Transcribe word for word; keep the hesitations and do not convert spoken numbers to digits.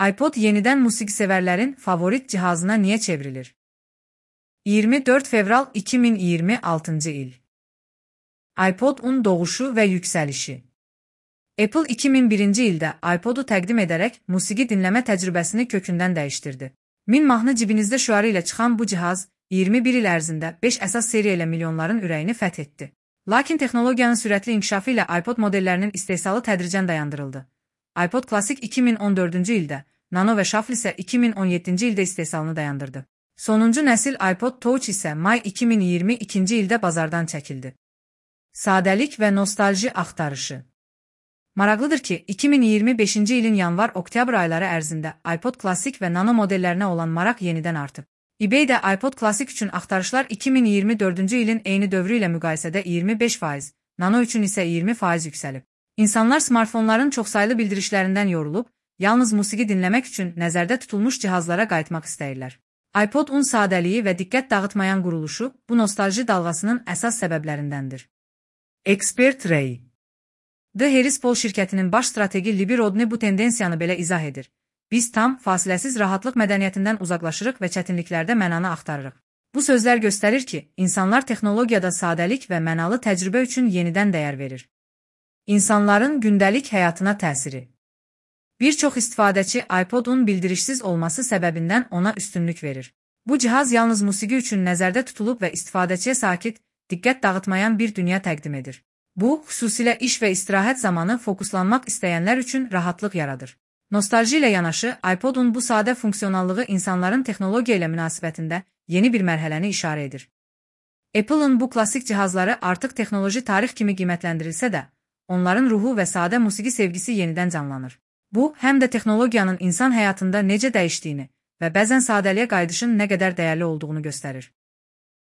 iPod yenidən musiqisevərlərin favorit cihazına niyə çevrilir? iyirmi dörd fevral iki min iyirmi altıncı il. iPod-un doğuşu və yüksəlişi. Apple iki min birinci ildə iPod-u təqdim edərək musiqi dinləmə təcrübəsini kökündən dəyişdirdi. Min mahnı cibinizdə şüarı ilə çıxan bu cihaz iyirmi bir il ərzində beş əsas seriya ilə milyonların ürəyini fəth etdi. Lakin texnologiyanın sürətli inkişafı ilə iPod modellərinin istehsalı tədricən dayandırıldı. iPod Classic iki min on dördüncü ildə, Nano və Shuffle isə iki min on yeddinci ildə istehsalını dayandırdı. Sonuncu nəsil iPod Touch isə may iki min iyirmi ikinci ildə bazardan çəkildi. Sadəlik və nostalji axtarışı. Maraqlıdır ki, iki min iyirmi beşinci ilin yanvar-oktyabr ayları ərzində iPod Classic və Nano modellərinə olan maraq yenidən artıb. eBay-də iPod Classic üçün axtarışlar iki min iyirmi dördüncü ilin eyni dövrü ilə müqayisədə iyirmi beş faiz, Nano üçün isə iyirmi faiz yüksəlib. İnsanlar smartfonların çoxsaylı bildirişlərindən yorulub, yalnız musiqi dinləmək üçün nəzərdə tutulmuş cihazlara qayıtmaq istəyirlər. iPod-un sadəliyi və diqqət dağıtmayan quruluşu bu nostalji dalğasının əsas səbəblərindəndir. Expert Ray The Harris Poll şirkətinin baş strategi Libby Rodney bu tendensiyanı belə izah edir. Biz tam, fasiləsiz rahatlıq mədəniyyətindən uzaqlaşırıq və çətinliklərdə mənanı axtarırıq. Bu sözlər göstərir ki, insanlar texnologiyada sadəlik və mənalı təcrübə üçün yenidən dəyər verir. İnsanların gündəlik həyatına təsiri. Bir çox istifadəçi iPod-un bildirişsiz olması səbəbindən ona üstünlük verir. Bu cihaz yalnız musiqi üçün nəzərdə tutulub və istifadəçiyə sakit, diqqət dağıtmayan bir dünya təqdim edir. Bu, xüsusilə iş və istirahət zamanı fokuslanmaq istəyənlər üçün rahatlıq yaradır. Nostalji ilə yanaşı, iPod-un bu sadə funksionallığı insanların texnologiya ilə münasibətində yeni bir mərhələni işarə edir. Apple-ın bu klassik cihazları artıq texnoloji tarix kimi qiymətləndirilsə də, onların ruhu və sadə musiqi sevgisi yenidən canlanır. Bu, həm də texnologiyanın insan həyatında necə dəyişdiyini və bəzən sadəliyə qayıdışın nə qədər dəyərli olduğunu göstərir.